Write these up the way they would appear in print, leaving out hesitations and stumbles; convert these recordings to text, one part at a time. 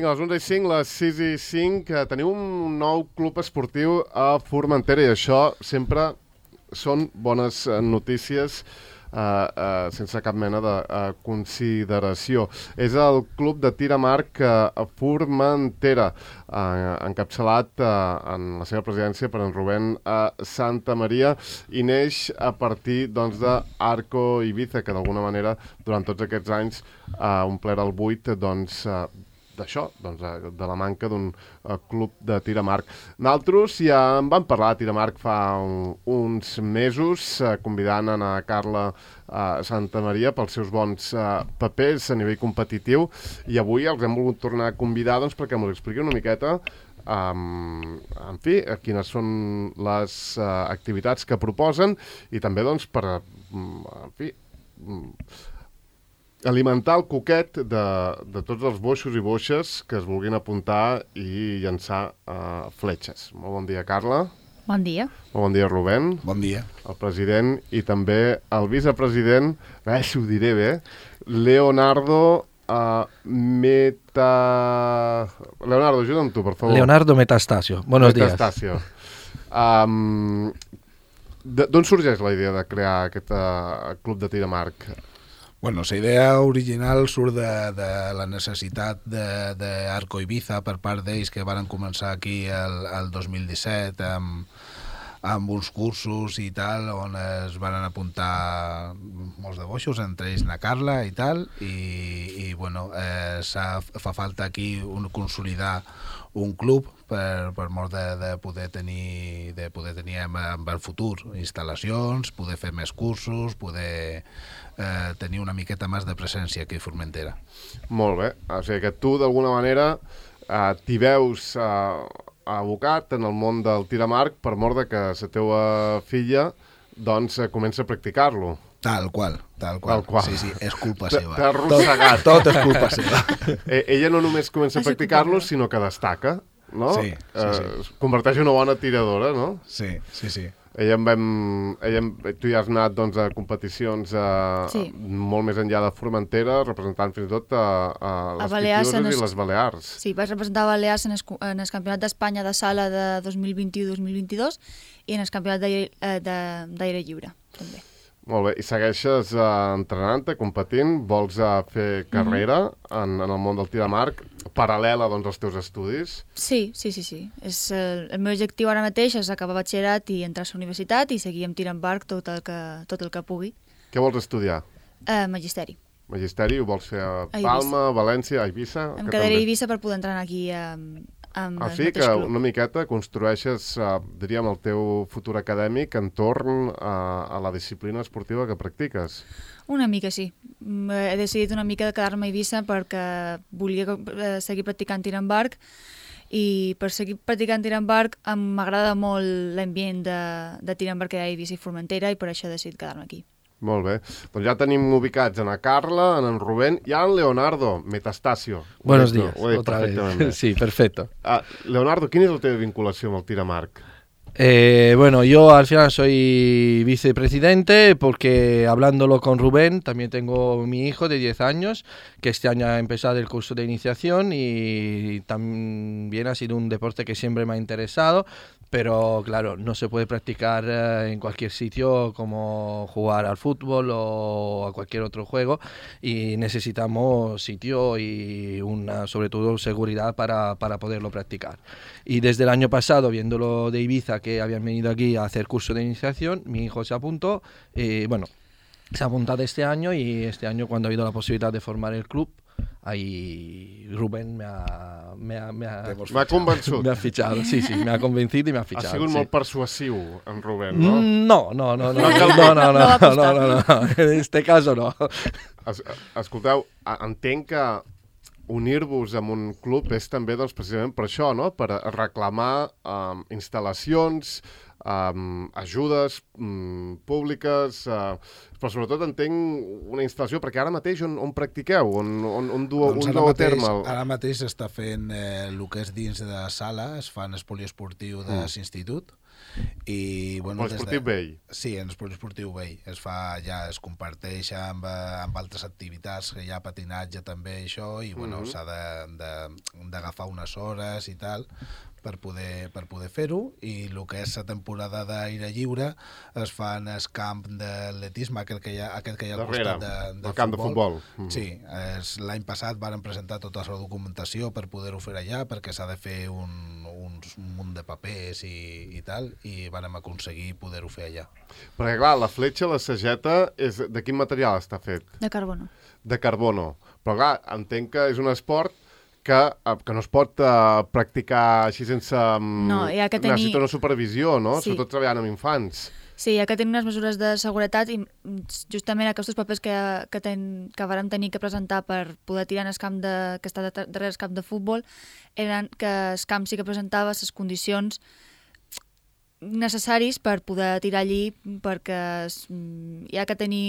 Vinga, a les 11:05, les 6:05, teniu un nou club esportiu a Formentera i això sempre són bones notícies sense cap mena de consideració. És el club de tir amb arc a Formentera, encapçalat en la seva presidència per en Rubén Santamaria, i neix a partir d'Arco Ibiza, que d'alguna manera durant tots aquests anys ha omplert el buit d'això, de la manca d'un club de tir amb arc. Nosaltres ja en vam parlar de tir amb arc fa uns mesos, convidant a Carla Santamaria pels seus bons papers a nivell competitiu, i avui els hem volgut tornar a convidar perquè ens expliqui una miqueta en fi, quines són les activitats que proposen i també per en fi alimentar el coquet de tots els boixos i boixes que es vulguin apuntar i llançar fletxes. Molt bon dia, Carla. Bon dia. Molt bon dia, Rubén. Bon dia. El president i també el vicepresident, si ho diré bé, Leonardo Leonardo, ajuda'm tu, per favor. Leonardo Metastasio. Buenos días. Metastasio. D'on sorgeix la idea de crear aquest club de tir amb arc? Bueno, la idea original surt de la necessitat d'Arco Ibiza per part d'ells que van començar aquí el 2017 amb uns cursos i tal, on es van apuntar molts de boixos, entre ells na Carla i tal, i bueno, fa falta aquí consolidar un club per mort de poder tenir en el futur instal·lacions, poder fer més cursos, poder tenir una miqueta més de presència aquí a Formentera. Molt bé, o sigui que tu d'alguna manera t'hi veus abocat en el món del tir amb arc per mort de que la teva filla comença a practicar-lo. Tal qual. Sí, és culpa seva. T'ha arrossegat. Tot és culpa seva. Ella no només comença a practicar-lo, sinó que destaca, no? Sí. Es converteix en una bona tiradora, no? Sí. Tu ja has anat a competicions molt més enllà de Formentera, representant fins i tot a les Pitiuses i les Balears. Sí, vaig representar Balears en el Campionat d'Espanya de sala de 2021-2022 i en el Campionat d'aire lliure, també. Molt bé, i segueixes entrenant-te, competint, vols fer carrera en el món del tir amb arc, paral·lela als teus estudis? Sí. El meu objectiu ara mateix és acabar batxillerat i entrar a la universitat i seguir amb tir amb arc tot el que pugui. Què vols estudiar? Magisteri. Magisteri, ho vols fer a Palma, a València, a Eivissa? Em quedaré a Eivissa per poder entrar aquí amb el mateix que club. una miqueta construeixes, diríem, el teu futur acadèmic entorn a la disciplina esportiva que practiques. Una mica, sí. He decidit una mica de quedar-me a Eivissa perquè volia seguir practicant tir amb arc i per seguir practicant tir amb arc m'agrada molt l'ambient de tir amb arc que hi ha a Eivissa i Formentera i per això he decidit quedar-me aquí. Molt bé. Doncs ja tenim ubicats en Carla, en Rubén i en Leonardo Metastasio. Buenos días. Otra vez. Sí, perfecto. Leonardo, quina és la teva vinculació amb el tir amb arc? Bueno, yo al final soy vicepresidente porque hablándolo con Rubén, también tengo mi hijo de 10 años que este año ha empezado el curso de iniciación y también ha sido un deporte que siempre me ha interesado, pero claro, no se puede practicar en cualquier sitio como jugar al fútbol o a cualquier otro juego y necesitamos sitio y sobre todo seguridad para poderlo practicar. Y desde el año pasado, viéndolo de Ibiza, que habían venido aquí a hacer curso de iniciación, mi hijo se apuntó, se ha apuntado este año y este año cuando ha habido la posibilidad de formar el club, ahí Rubén me ha convençut. Me ha fichado, sí, me ha convencido y me ha fichado. Ha sigut molt persuasiu, en Rubén, no? No, en este caso no. Escolteu, entenc que unir-vos amb un club és també precisament per això, no? Per reclamar instal·lacions, ajudes públiques, però sobretot entenc una instal·lació, perquè ara mateix on practiqueu, on dueu a terme? Ara mateix s'està fent el que és dins de sala, es fa en el poliesportiu de l'institut, i bueno, poliesportiu vell. Sí, en el poliesportiu vell es fa, ja es comparteix amb altres activitats, que hi ha patinatge també, això, i bueno, s'ha d'agafar unes hores i tal per poder fer-ho, i el que és la temporada d'aire lliure es fa en el camp d'atletisme, aquest que hi ha al costat del camp de futbol. Sí, l'any passat varen presentar tota la documentació per poder-ho fer allà, perquè s'ha de fer un munt de papers i tal, i vàrem aconseguir poder-ho fer allà. Perquè clar, la fletxa, la sageta, de quin material està fet? De carbono. De carbono. Però clar, entenc que és un esport que no es pot practicar així sense... No, hi ha que tenir... Necessita una supervisió, no? Sí. Sobretot treballant amb infants. Sí, hi ha que tenir unes mesures de seguretat, i justament aquests papers que vàrem tenir que presentar per poder tirar en el camp que està darrere el camp de futbol eren que el camp sí que presentava les condicions necessaris per poder tirar allí, perquè hi ha que tenir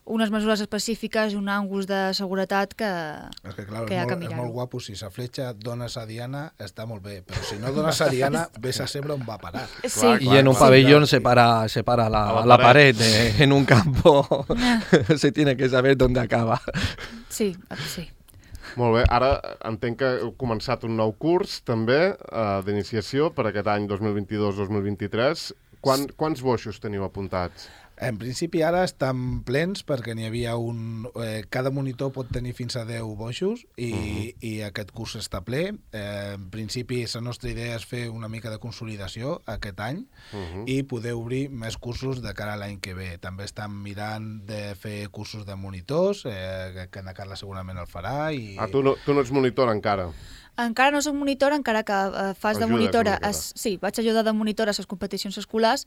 unes mesures específiques i un ànguls de seguretat que hi ha que mirar. És molt guapo, si la fletxa dones a Diana està molt bé, però si no dones a Diana ves a saber on va a parar. Sí. Y en un pabellón se para la pared, en un campo se tiene que saber dónde acaba. Sí, sí. Molt bé, ara entenc que heu començat un nou curs també d'iniciació per aquest any 2022-2023. Quants boixos teniu apuntats? En principi ara estan plens perquè n'hi havia cada monitor pot tenir fins a 10 boixos i aquest curs està ple. En principi la nostra idea és fer una mica de consolidació aquest any i poder obrir més cursos de cara a l'any que ve. També estan mirant de fer cursos de monitors, que na Carla segurament el farà. Tu no ets monitor encara? Encara no soc monitora, encara que fas de monitora. Sí, vaig ajudar de monitora a les competicions escolars,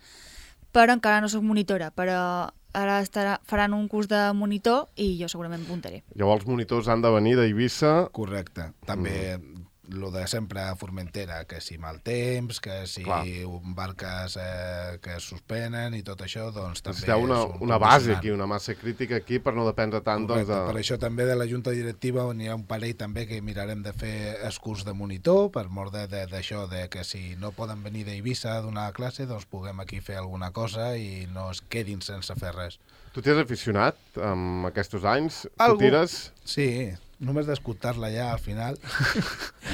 però encara no soc monitora, però ara faran un curs de monitor i jo segurament apuntaré. Llavors els monitors han de venir d'Eivissa. Correcte. També lo de sempre a Formentera, que si mal temps, que si barques que es suspenen i tot això, doncs també... Necessiteu una base aquí, una massa crítica aquí per no dependre tant de... Per això també de la Junta Directiva n'hi ha un parell també que mirarem de fer el curs de monitor, per mort d'això, que si no poden venir d'Eivissa a donar classe, doncs puguem aquí fer alguna cosa i no es quedin sense fer res. Tu t'hi has aficionat amb aquests anys? Tu tires? Sí, només d'escoltar-la ja al final.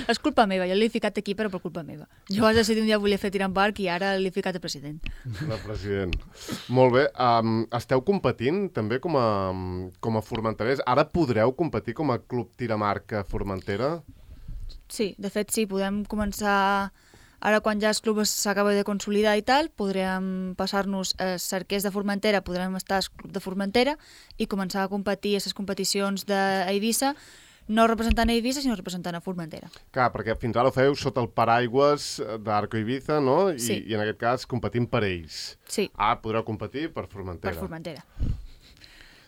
És culpa meva, jo l'he ficat aquí però per culpa meva. Jo vaig decidir un dia volia fer tir en barc i ara l'he ficat a president. El president. Molt bé. Esteu competint també com a formenterers? Ara podreu competir com a club tiramarc a Formentera? Sí, de fet sí, podem començar... Ara quan ja el club s'acaba de consolidar i tal, podrem passar-nos a cerquers de Formentera, podrem estar al club de Formentera i començar a competir a les competicions d'Eivissa, no representant a Eivissa, sinó representant a Formentera. Clar, perquè fins ara ho feu sota el paraigües d'Arco Eivissa, no? Sí. I en aquest cas competint per ells. Sí. Ara podreu competir per Formentera. Per Formentera.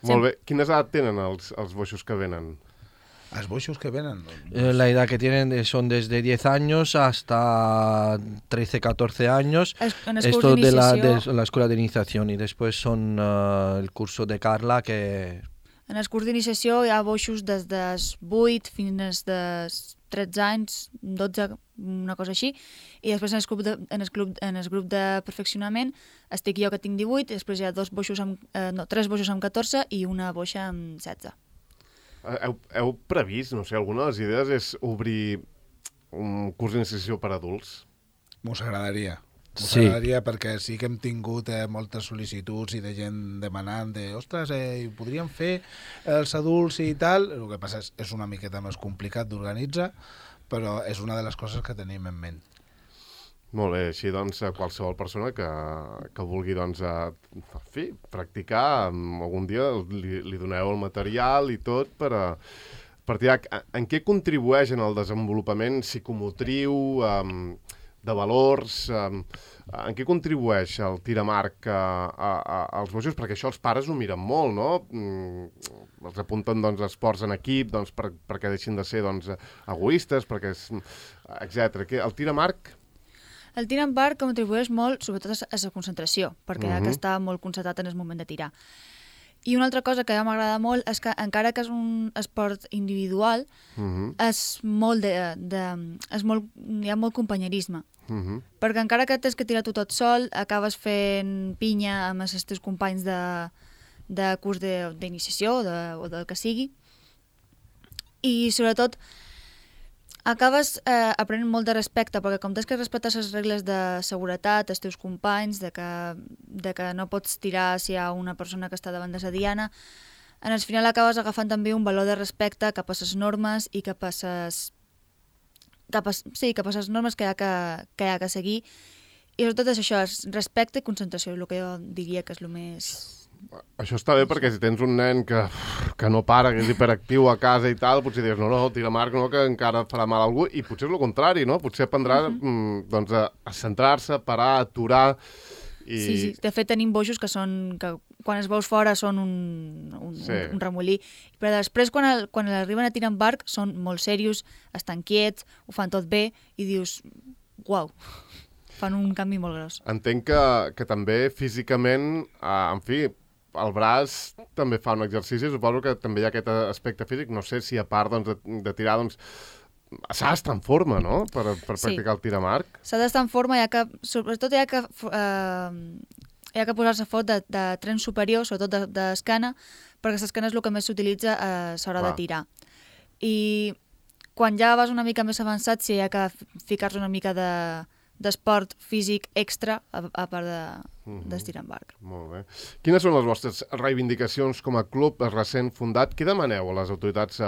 Molt bé. Quines edat tenen els boixos que venen? ¿Los boixos que vienen? La edad que tienen son desde 10 años hasta 13, 14 años. Esto de la escuela de iniciación. Y después son el curso de Carla que... En el curs d'iniciació hi ha boixos des dels 8 fins als 13 anys, 12, una cosa així. I després en el grup de perfeccionament estic jo que tinc 18, i després hi ha 3 boixos amb 14 i una boixa amb 16. Heu previst, no sé, alguna de les idees és obrir un curs d'iniciació per adults? M'ho agradaria. Sí. M'agradaria perquè sí que hem tingut moltes sol·licituds i de gent demanant ostres, podríem fer els adults i tal. El que passa és una miqueta més complicat d'organitzar, però és una de les coses que tenim en ment. Molt bé, així doncs qualsevol persona que vulgui doncs, practicar, algun dia li doneu el material i tot per tirar. En què contribueix en el desenvolupament psicomotriu, de valors, en què contribueix el tiramarc als boixos? Perquè això els pares ho miren molt, no? Els apunten doncs, esports en equip doncs, perquè deixin de ser doncs, egoistes, etc. El tiramarc... El tir amb arc contribueix molt, sobretot a la concentració, perquè ha que està molt concentrat en el moment de tirar. I una altra cosa que ja m'agrada molt és que, encara que és un esport individual, és molt hi ha molt companyerisme. Perquè encara que tens que tirar tu tot sol, acabes fent pinya amb els teus companys de curs d'iniciació o del que sigui. I, sobretot, acabes aprenent molt de respecte, perquè com tens que respectar les regles de seguretat, els teus companys, de que no pots tirar si hi ha una persona que està davant de la diana, en el final acabes agafant també un valor de respecte cap a les normes i cap a les normes que hi ha que seguir. I sobretot és això, és respecte i concentració, el que jo diria que és el més... Això està bé perquè si tens un nen que no para, que és hiperactiu a casa i tal, potser dius, no, tira amb arc, no, que encara farà mal a algú, i potser és el contrari, no? Potser aprendrà doncs, a centrar-se, parar, aturar... Sí, de fet tenim boixos que quan els veus fora són un remollí, però després quan arriben a tirar amb arc són molt serios, estan quiets, ho fan tot bé i dius, uau, fan un canvi molt gros. Entenc que també físicament, en fi, el braç també fa un exercici, suposo que també hi ha aquest aspecte físic, no sé si a part doncs, de tirar, doncs, s'ha d'estar en forma, no?, per practicar el tir amb arc. S'ha d'estar en forma, sobretot hi ha que posar-se fot de tren superior, sobretot d'escana, perquè l'escana és el que més s'utilitza a l'hora de tirar. I quan ja vas una mica més avançat, sí, hi ha que ficar-se una mica d'esport físic extra a part d'estirar amb arc. Molt bé. Quines són les vostres reivindicacions com a club recent fundat? Què demaneu a les autoritats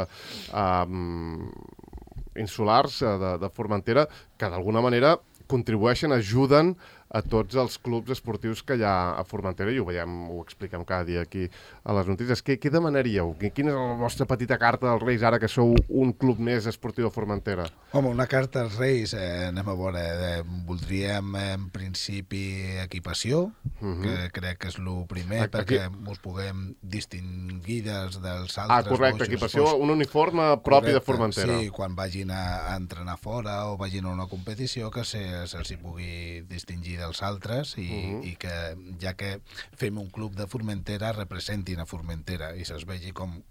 insulars de Formentera que d'alguna manera contribueixen, ajuden a tots els clubs esportius que hi ha a Formentera, i ho veiem, ho expliquem cada dia aquí a les notícies. Què demanaríeu? Quina és la vostra petita carta dels Reis ara que sou un club més esportiu a Formentera? Home, una carta als Reis, anem a veure, voldríem en principi equipació, que crec que és el primer, perquè ens puguem distingir dels altres. Correcte, equipació, un uniforme propi de Formentera. Sí, quan vagin a entrenar fora o vagin a una competició, que se'ls pugui distingir dels altres i que, ja que fem un club de Formentera, representin a Formentera i se'ls vegi com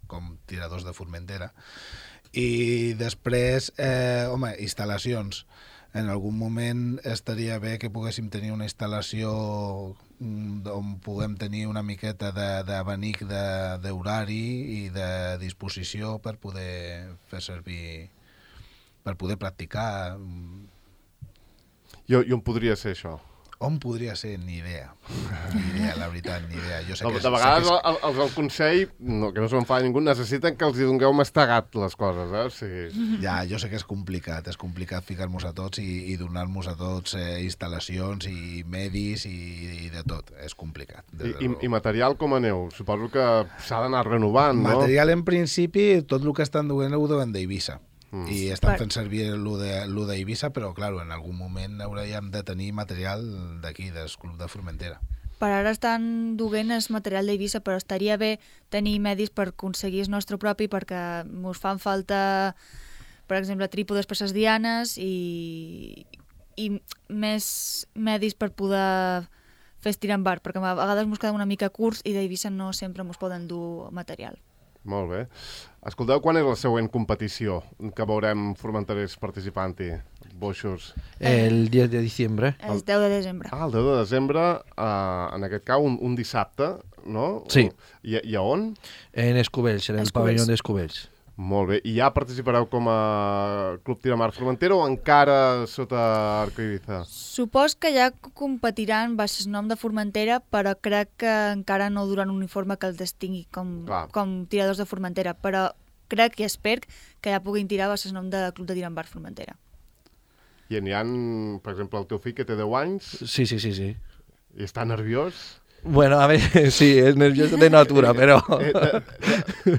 tiradors de Formentera. I després, instal·lacions. En algun moment estaria bé que poguéssim tenir una instal·lació on puguem tenir una miqueta d'abanic d'horari i de disposició per poder fer servir, per poder practicar. I on podria ser això? On podria ser? Ni idea. La veritat, ni idea. Jo sé de vegades els del Consell, que no se'n fa ningú, necessiten que els hi dongueu mastegat les coses, eh? O sigui... Ja, jo sé que és complicat ficar-nos a tots i donar-nos a tots instal·lacions i medis i de tot. És complicat. I material com aneu? Suposo que s'ha d'anar renovant, no? Material, en principi, tot el que estan duent ho deuen d'Eivissa. I estan fent servir lo d'Eivissa, però, clar, en algun moment hauríem de tenir material d'aquí, del Club de Formentera. Per ara estan duent el material d'Eivissa, però estaria bé tenir medis per aconseguir el nostre propi, perquè ens fan falta, per exemple, trípodes per les dianes i més medis per poder fer estirar amb arc, perquè a vegades ens quedem una mica curts i d'Eivissa no sempre ens poden dur material. Molt bé. Escolteu, quan és la següent competició que veurem formenterers participant-hi? Boixos. El 10 de diciembre. El 10 de desembre. El 10 de desembre, en aquest cas, un dissabte, no? Sí. I a on? En Escubells, en el pavelló d'Escubells. Molt bé. I ja participareu com a Club Tir amb Arc Formentera o encara sota Arco Eivissa? Supos que ja competiran baix el nom de Formentera, però crec que encara no duran un uniforme que els distingui com tiradors de Formentera, però crec i espero que ja puguin tirar baix el nom de Club de Tir amb Arc Formentera. I n'hi ha, per exemple, el teu fill que té 10 anys? Sí. I està nerviós? Bueno, a ver, sí, es nervioso de natura, pero...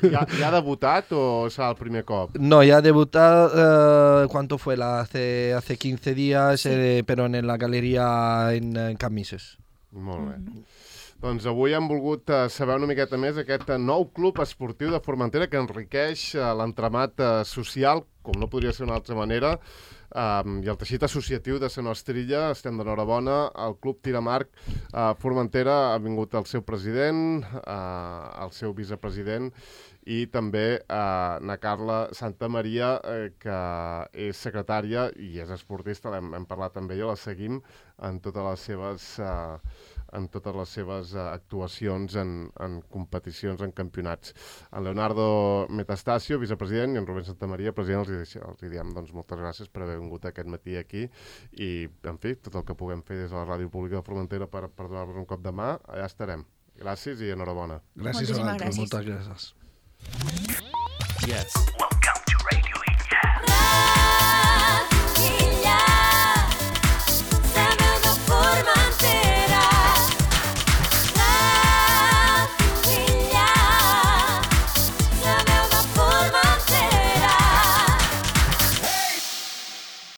¿Ya ha debutado o es el primer cop? No, ya ha debutado, ¿cuánto fue? Hace 15 días, sí. Pero en la galería en Camises. Molt bé. Doncs avui hem volgut saber una miqueta més aquest nou club esportiu de Formentera que enriqueix l'entramat social, com no podria ser d'una altra manera, i el teixit associatiu de la nostra illa. Estem d'enhorabona. El Club Tiramarc Formentera ha vingut el seu president, el seu vicepresident i també na Carla Santamaria, que és secretària i és esportista, hem parlat amb ella, la seguim en totes les seves actuacions en competicions, en campionats. En Leonardo Metastasio, vicepresident, i en Rubén Santamaria, president, els diem doncs, moltes gràcies per haver vingut aquest matí aquí i, en fi, tot el que puguem fer des de la Ràdio Pública de Formentera per donar-vos un cop de mà, allà estarem. Gràcies i enhorabona. Gràcies a vosaltres. Moltes gràcies. Yes.